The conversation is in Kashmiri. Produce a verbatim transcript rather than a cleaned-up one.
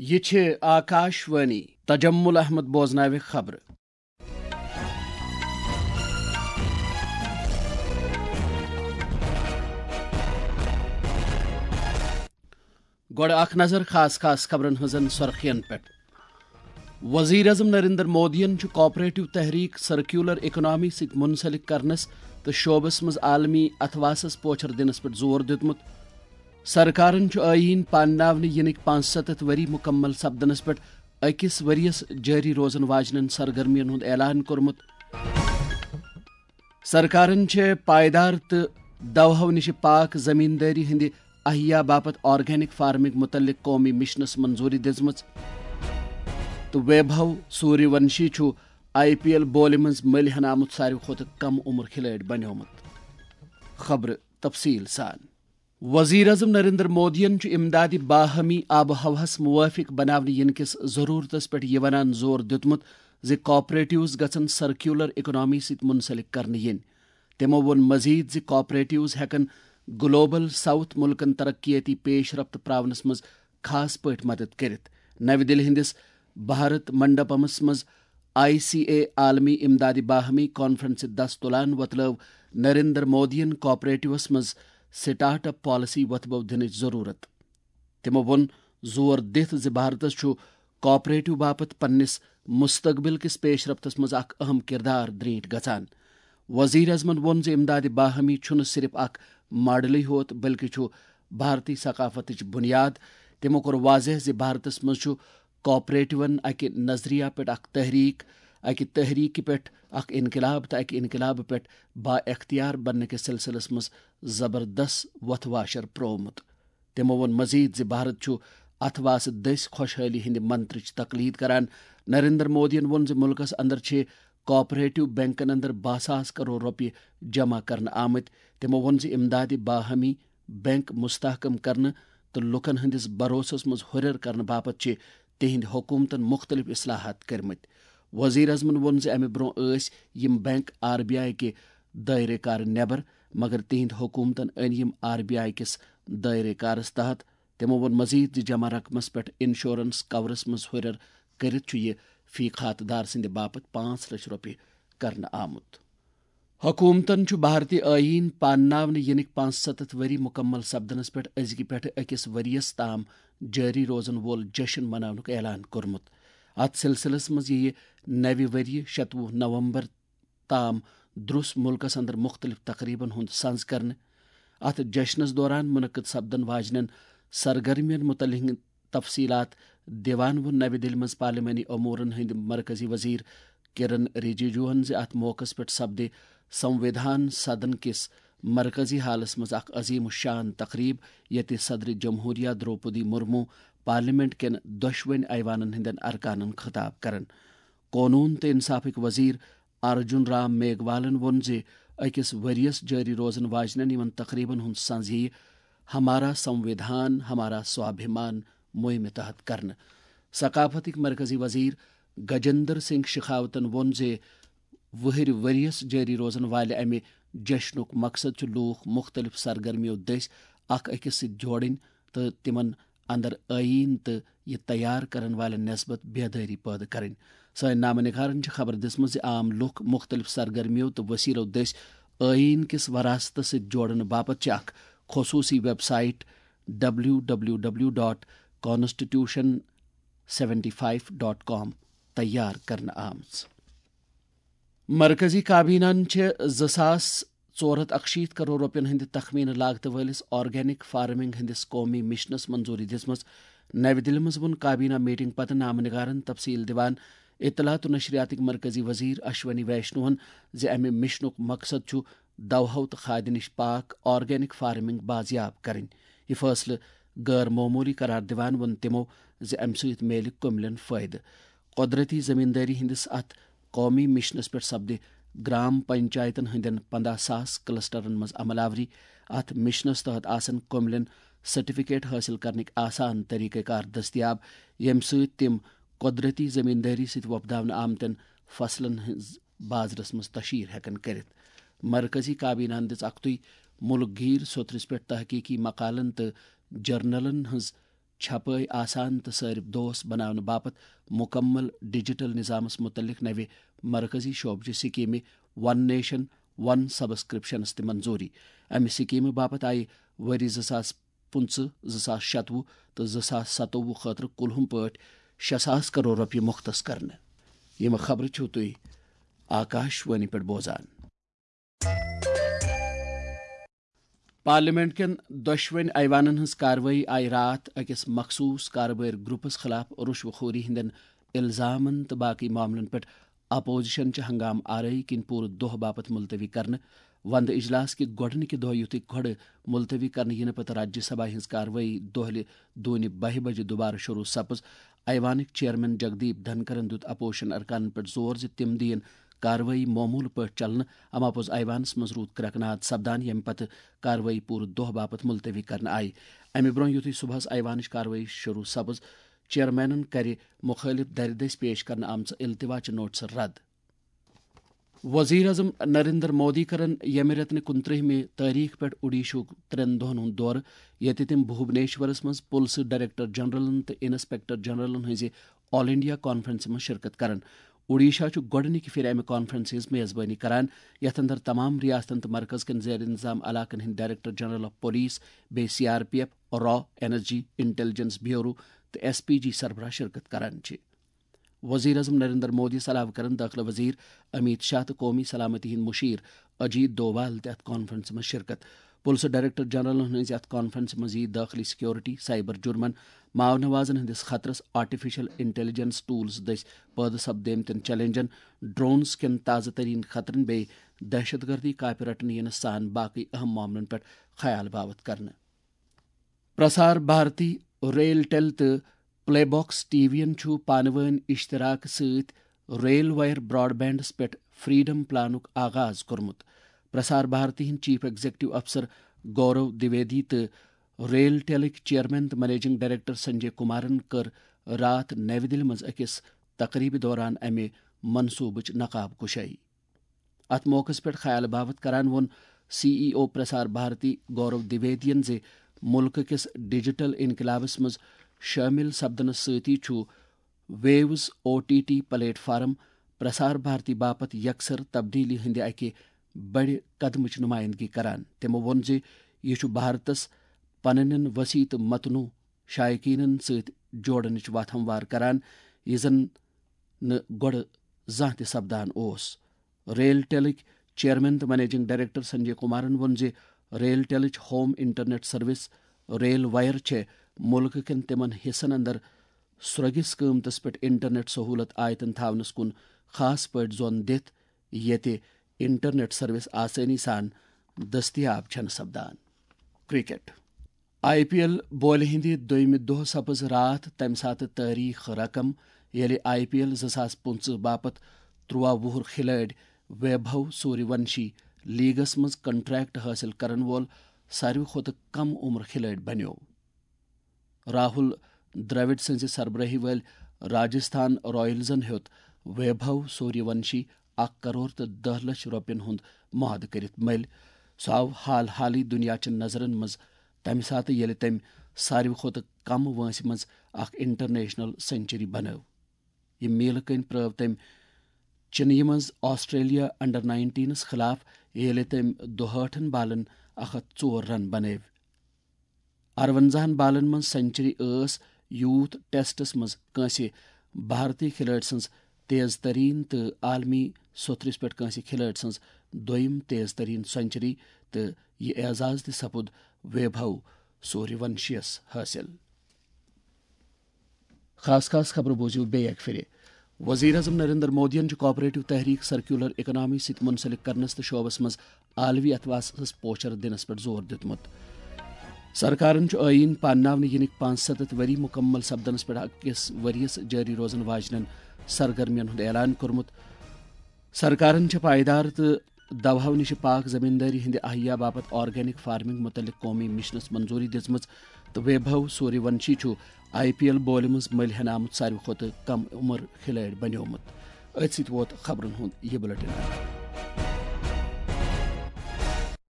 یہِ چھِ آکاش وانی۔ تجمل احمد بوزناوِ خبرٕ۔ گۄڈٕ اکھ نظر خاص خاص خبرن ہٕنٛزن سرخین پٮ۪ٹھ۔ وزیر اعظم نریندر مودیَن چھُ کوآپریٹو تحریک سرکیولر اکنامی سۭتۍ منسلک کرنس تہٕ شعبس منٛز عالمی اتھواسس پوچھر دِنس پٮ۪ٹھ زور دیُتمُت۔ سرکارن چھُ ٲییٖن پانناونہٕ یِنٕکۍ پانٛژستتھ ؤری مُکمل سپدنس پٮ۪ٹھ أکِس ؤرِیَس جٲری روزن واجنٮ۪ن سرگرمین ہُنٛد اعلان کوٚرمُت۔ سرکارن چھےٚ پائیدار تہٕ دوہو نِش پاک زمیندٲری ہٕنٛدِ احیا باپتھ آرگینک فارمنگ متعلق قومی مشنس منظوری دِژمٕژ۔ تہٕ ویبھو سوریہ ونشی چھُ آئی پی ایل بولہِ منٛز مٔلۍ ہٮ۪نہٕ آمُت ساروی کھۄتہٕ کم عمر کھلٲڑۍ بنیومُت۔ خبرٕ تفصیل سان۔ وزیر اعظم نریندر مودیَن چھُ امدادِ باہمی آب و ہوہَس موٲفِق بناونہٕ یِنہٕ کِس ضروٗرتَس پٮ۪ٹھ یہِ وَنان زور دیُتمُت زِ کوآپریٹوز گژھن سرکیولر اکنامی سۭتۍ منسلک کرنہٕ یِنۍ۔ تِمَو ووٚن مزید زِ کوآپریٹوز ہٮ۪کَن گلوبل ساؤتھ مُلکَن ترقیٲتی پیش رفت پراونَس منٛز خاص پٲٹھۍ مدد کٔرِتھ۔ نَوِ دِلہِ ہٕنٛدِس بھارت منڈپمس منٛز آئی سی اے عالمی امدادِ باہمی کانفرنسہِ دس تُلان وۄتلٲو نریندر مودیَن کوآپریٹوَس منٛز سٹارٹ اپ پالیسی وۄتھبو دِنٕچ ضروٗرت۔ تِمَو ووٚن زور دِتھ زِ بھارتس چھُ کوآپریٹو باپتھ پننِس مستقبل کِس پیش رفتس منٛز اکھ اہم کردار درینٹھ گژھان۔ وزیر اعظمَن ووٚن زِ امدادِ باہمی چھُنہٕ صرف اکھ ماڈلٕے ہوت بلکہِ چھُ بھارتی ثقافتٕچ بنیاد۔ تِمَو کوٚر واضح زِ بھارتس منٛز چھُ کوآپریٹوَن اکہِ نظریہ پٮ۪ٹھ اکھ تحریک، اکہِ تحریکہِ پٮ۪ٹھ اکھ انقلاب تہٕ اکہِ انقلابہٕ پٮ۪ٹھ با اختیار بننہٕ کِس سلسلس منٛز زبردست وۄتھ واشر پروومُت۔ تِمَو ووٚن مزید زِ بھارت چھُ اتھواسہٕ دٔسۍ خۄشحٲلی ہٕنٛدِ منترٕچ تقلید کران۔ نریندر مودیَن ووٚن زِ مُلکَس اندر چھِ کوآپریٹو بینکن اندر باہ ساس کرور رۄپیہِ جمع کرنہٕ آمٕتۍ۔ تِمَو ووٚن زِ امدادِ باہمی بینک مستحکم کرنہٕ تہٕ لوٗکَن ہٕنٛدِس بھروسَس منٛز ہُرٮ۪ر کرنہٕ باپتھ چھِ تِہنٛدِ حکوٗمتَن مُختٔلِف اصلاحات کٔرمٕتۍ۔ وزیر اعظمَن ووٚن زِ اَمہِ برٛونٛہہ ٲسۍ یِم بینک آر بی آئی کہِ دٲیرٕ کار نٮ۪بر، مگر تِہنٛدِ حکوٗمتَن أنۍ یِم آر بی آئی کِس دٲیرٕ کارَس تحت۔ تِمَو ووٚن مزید زِ جمع رقمَس پٮ۪ٹھ انشورنس کورَس منٛز ہُرٮ۪ر کٔرِتھ چھُ یہِ فی کھاتہٕ دار سٕنٛدِ باپتھ پانٛژھ لچھ رۄپیہِ کرنہٕ آمُت۔ حکوٗمتَن چھُ بھارتی ٲییٖن پانناونہٕ یِنٕکۍ پانٛژستتھ ؤری مُکمل سپدنَس پٮ۪ٹھ أزکہِ پٮ۪ٹھٕ أکِس ؤرِیَس تام جٲری روزَن وول جشن مناونُک اعلان کوٚرمُت۔ اَتھ سلسلس منٛز یِیہِ نَوِ ؤریہِ شَتوُہ نومبر تام دروٚس مُلکَس اندر مُختٔلِف تقریبن ہُنٛد سنز کرنہٕ۔ اَتھ جشنَس دوران منعقد سپدن واجنٮ۪ن سرگرمیَن مُتعلِق تفصیلات دِوان ووٚن نَوِ دِلہِ منٛز پارلیمانی امورن ہٕنٛدۍ مرکزی وزیر کِرن رِجیجوہَن زِ اَتھ موقعس پٮ۪ٹھ سپدِ سنوِدھان سدن کِس مرکزی ہالس منٛز اکھ عظیم الشان تقریب، ییٚتہِ صدر جمہوریہ درٛوپدی مرمو پارلیمنٹ کٮ۪ن دۄشوٕنۍ ایوانن ہٕنٛدٮ۪ن ارکانن خطاب کرن۔ قونوٗن تہٕ انصافٕکۍ وزیر ارجُن رام میگوالن ووٚن زِ أکِس ؤرِیَس جٲری روزن واجنٮ۪ن یِمن تقریبن ہُنٛد سنز یِیہِ ہمارا سنوِدھان ہمارا سوابھیمان مُہِمہِ تحت کرنہٕ۔ ثقافتٕکۍ مرکزی وزیر گجندر سنگھ شِخاوتن ووٚن زِ وُہٕرۍ ؤرِیَس جٲری روزن والہِ امہِ جشنُک مقصد چھُ لوٗکھ مُختٔلِف سرگرمیو دٔسۍ اکھ أکِس سۭتۍ جوڑٕنۍ تہٕ تِمن اندر ٲییٖن تہٕ یہِ تیار کرن والٮ۪ن نسبت بیدٲری پٲدٕ کرٕنۍ۔ سٲنۍ نامہ نگارن چھِ خبر دِژمٕژ زِ عام لوٗکھ مُختٔلِف سرگرمیو تہٕ وسیلو دٔسۍ ٲییٖن کِس وراثتس سۭتۍ جوڑنہٕ باپتھ چھِ اکھ خصوٗصی website W W W dot constitution seventy five dot com تیار کرنہٕ آمٕژ۔ مرکزی کابینہن چھِ زٕ ساس ژور ہتھ اکشیٖتھ کرور رۄپین ہٕنٛدِ تخمینہٕ لاگتہٕ وٲلِس آرگینک فارمنگ ہٕنٛدِس قومی مشنس منظوری دِژمٕژ۔ نَوِ دِلہِ منٛز ووٚن کابینہ میٹنگ پتہٕ نامہ نگارن تفصیل دِوان اطلاعات و نشریاتٕکۍ مرکزی وزیر اشونی ویشنوہن زِ امہِ مشنُک مقصد چھُ دوہو تہٕ کھادِ نِش پاک آرگینک فارمنگ بازیاب کرٕنۍ۔ یہِ فٲصلہٕ غٲر معموٗلی قرار دِوان ووٚن تِمو زِ امہِ سۭتۍ میلہِ کُملٮ۪ن فٲیدٕ۔ قۄدرٔتی زٔمیٖندٲری ہٕنٛدِس اَتھ قومی مِشنَس پٮ۪ٹھ سپدِ گرام پنچایتَن ہٕنٛدٮ۪ن پنٛداہ ساس کلسٹرن منٛز عمل آوری۔ اَتھ مِشنَس تحت آسَن کُملٮ۪ن سرٹیفکیٹ حٲصِل کرنٕکۍ آسان طریقہ کار دٔستیاب، ییٚمہِ سۭتۍ تِم قۄدرٔتی زٔمیٖندٲری سۭتۍ وۄپداونہٕ آمتٮ۪ن فصلن ہٕنٛز بازرَس منٛز تشہیر ہٮ۪کَن کٔرِتھ۔ مرکزی کابینہَن دِژ اَکتُے مُلک گیٖر سوٚتھرِس پٮ۪ٹھ تحقیقی مقالن تہٕ جرنلن ہٕنٛز چھپٲے آسان تہٕ صٲرف دوست بناونہٕ باپتھ مُکمل ڈیجیٹل نظامس مُتعلق نوِ مرکزی شعبچہِ سکیمہِ ون نیشن ون سبسکرپشنس تہِ منظوٗری۔ امہِ سکیمہِ باپتھ آیہِ ؤری زٕ ساس پٕنٛژٕہ، زٕ ساس شتوُہ تہٕ زٕ ساس ستووُہ خٲطرٕ کُلہُم پٲٹھۍ شےٚ ساس کرور رۄپیہِ مُختص کرنہٕ۔ یِم خبرٕ چھِو تُہۍ آکاش وانی پٮ۪ٹھ بوزان۔ پارلیمنٹ کٮ۪ن دۄشوٕنۍ ایوانن ہٕنٛز کاروٲیی آیہِ راتھ أکِس مخصوٗص کاربٲرۍ گروپس خلاف رُشوٕ خوری ہٕنٛدٮ۪ن الزامن تہٕ باقٕے معاملن پٮ۪ٹھ اپوزیشن چہِ ہنگامہٕ آرٲیی کِنۍ پوٗرٕ دۄہ باپتھ ملتوی کرنہٕ۔ وندٕ اجلاس کہِ گۄڈٕنِکہِ دۄہ یُتھُے گۄڈٕ ملتوی کرنہٕ یِنہٕ پتہٕ راجیہ سبھا ہٕنٛز کاروٲیی دۄہلہِ دوٗنہِ بَہہِ بجہِ دُبارٕ شروع سپٕز، ایوانٕکۍ چیئرمین جگدیپ دھنکرن دیُت اپوزیشن ارکانن پٮ۪ٹھ زور زِ تِم دِیِن کاروٲیی معموٗل پٲٹھۍ چلنہٕ۔ اما پوٚز ایوانس منٛز روٗد کرٛٮ۪کہٕ ناد سپدان، ییٚمہِ پتہٕ کاروٲیی پوٗرٕ دۄہ باپتھ ملتوی کرنہٕ آیہِ۔ امہِ برٛونٛہہ یُتھُے صبحس ایوانٕچ کاروٲیی شروع سپٕز، چیئرمینن کرِ مُخٲلف درِ دٔسۍ پیش کرنہٕ آمژٕ التوا چہِ نوٹسہٕ رد۔ وزیر اعظم نریندر مودی کرن ییٚمہِ رٮ۪تہٕ نہِ کُنترٛہمہِ تٲریخ پٮ۪ٹھ اوڈیشہُک ترٛٮ۪ن دۄہن ہُنٛد دورٕ، ییٚتہِ تِم بھوبنیشورس منٛز پُلسہٕ ڈائریکٹر جنرلن تہٕ انسپیکٹر جنرلن ہٕنٛزِ آل انڈیا کانفرنسہِ منٛز شرکت کرن۔ اوڈیشہ چھُ گۄڈٕنِکہِ پھِرِ امہِ کانفرنسہِ ہٕنٛز میزبٲنی کران، یتھ اندر تمام ریاستن تہٕ مرکز کٮ۪ن زیر انتظام علاقن ہٕنٛدۍ ڈائریکٹر جنرل آف پولیس، بیٚیہِ سی آر پی ایف، را، انرجی، انٹیلیجنس بیورو تہٕ ایس پی جی سربراہ شرکت کران چھِ۔ وزیر اعظم نریندر مودی یَس علاوٕ کرن دٲخلہٕ وزیر امیت شاہ تہٕ قومی سلامتی ہٕنٛدۍ مشیر اجیت دووال تہِ اتھ کانفرنسہِ منٛز شرکت۔ پُلسہٕ ڈائریکٹر جنرلن ہٕنٛزِ اتھ کانفرنسہِ منٛز یِیہِ دٲخلی سیکورٹی، سائبر جرمن، ماونوازن ہٕنٛدِس خطرس، آرٹیفیشل انٹیلیجنس ٹولز دٔسۍ پٲدٕ سپدیمتٮ۪ن چیلنجن، ڈرونز کٮ۪ن تازٕ ترین خطرن بیٚیہِ دہشت گردی، کاپہِ رٹنہٕ یِنس سان باقٕے اہم معاملن پٮ۪ٹھ خیال باوتھ کرنہٕ۔ پرسار بھارتی، ریل ٹیل تہٕ پلے باکس ٹی وی ین چھُ پانہٕ وٲنۍ اشتراک سۭتۍ ریل وائر براڈ بینڈس پٮ۪ٹھ فریڈم پلانُک آغاز کوٚرمُت۔ پرسار بھارتی ہٕنٛدۍ چیف ایگزیکٹو افسر گورو دویدی تہٕ ریل ٹیلٕکۍ چیئرمین تہٕ منیجنگ ڈائریکٹر سنجے کمارن کٔر راتھ نَوِ دِلہِ منٛز أکِس تقریبہِ دوران امہِ منصوبٕچ نقاب کشٲیی۔ اتھ موقعس پٮ۪ٹھ خیال باوتھ کران ووٚن سی ای او پرسار بھارتی گورو دویدین زِ ملکہٕ کِس ڈیجیٹل انقلابس منٛز شٲمِل سپدنس سۭتی چھُ views O T T platform Prasar پرسار بھارتی باپتھ یکسر تبدیلی ہٕنٛدِ اکہِ بڑِ قدمٕچ نمائندگی کران۔ تٔمۍ ووٚن زِ یہِ چھُ بھارتس پننٮ۪ن وسیع تہٕ متنوع شائقینن سۭتۍ جوڑنٕچ وتھ ہموار کران، یہِ زن نہٕ گۄڈٕ زانٛہہ تہِ سپدان اوس۔ ریل ٹیلٕکۍ چیئرمین تہٕ منیجنگ ڈائریکٹر سنجے کمارن ووٚن زِ ریل ٹیلٕچ home internet service RailWire چھےٚ ملکہٕ کٮ۪ن تِمن حصن اندر سرٛوگِس قۭمتس پٮ۪ٹھ انٹرنیٹ سہولت آیتن تھاونس کُن خاص پٲٹھۍ زون دِتھ، ییٚتہِ انٹرنیٹ سروس آسٲنی سان دٔستیاب چھنہٕ سپدان۔ کرکٹ۔ آئی پی ایل بولہِ ہٕنٛدِ دوٚیمہِ دۄہ سپٕز راتھ تَمہِ ساتہٕ تٲریخ رقم، ییٚلہِ آئی پی ایل زٕ ساس پٕنٛژٕہ باپتھ تُرٛواہ وُہُر کھلٲڑۍ ویبھو سوریہ ونشی لیگس منٛز کنٹریکٹ حٲصِل کرن وول ساروی کھۄتہٕ کم عمر کھلٲڑۍ بنیوو۔ راہول دراوڈ سٕنٛزِ سربرٲہی وٲلۍ راجستھان رائلزن ہیوٚت ویبھو سوریہ ونشی اکھ کرور تہٕ دَہ لچھ رۄپین ہُنٛد معاہدٕ کٔرِتھ مٔلۍ۔ سُہ آو حال حالٕے دُنیا چٮ۪ن نظرن منٛز تَمہِ ساتہٕ، ییٚلہِ تٔمۍ ساروی کھۄتہٕ کم وٲنٛسہِ منٛز اکھ انٹرنیشنل سنچری بنٲو۔ یہِ میلہٕ کٔنۍ پرٲو تٔمۍ چِنیہِ منٛز آسٹریلیا انڈر نائنٹینس خلاف، ییٚلہِ تٔمۍ دُہٲٹھن بالن اکھ ہتھ ژور رن بنٲوۍ۔ ارونزاہن بالن منٛز سنچری ٲس یوتھ ٹیسٹس منٛز کٲنٛسہِ بھارتی کھلٲڑۍ سٕنٛز تیز ترین تہٕ عالمی سوٚتھرِس پٮ۪ٹھ کٲنٛسہِ کھلٲڑۍ سٕنٛز دوٚیِم تیز ترین سنچری، تہٕ یہِ اعزاز تہِ سپُد ویبھو سوریہ ونشیَس حٲصِل۔ خاص خاص خبرٕ بوٗزِو بیٚیہِ اَکہِ پھِرِ۔ وزیر اعظم نریندر مودیَن چھُ کوآپریٹو تحریک سرکیولر اکانومی سۭتۍ منسلک کرنس تہٕ شعبس منٛز عالمی اتھواسس پوچھر دِنس پٮ۪ٹھ زور دیُتمُت۔ سرکارن چھُ ٲییٖن پانناونہٕ یِنٕکۍ پانٛژستتھ ؤری مُکمل سپدنس پٮ۪ٹھ أکِس ؤرۍ یَس جٲری روزن واجنٮ۪ن سرگرمین ہُنٛد اعلان کوٚرمُت۔ سرکارن چھِ پائیدار تہٕ دوہو نِش پاک زمیندٲری ہٕنٛدِ احیا باپتھ آرگینک فارمنگ متعلق قومی مشنس منظوری دِژمٕژ تہٕ ویبھو سوریہ ونشی چھُ آئی پی ایل بولہِ منٛز مٔلۍ ہٮ۪نہٕ آمُت ساروی کھۄتہٕ کم عمر کھلٲڑۍ بنیومُت۔ أتھۍ سۭتۍ ووت خبرن ہُنٛد یہِ بلیٹن۔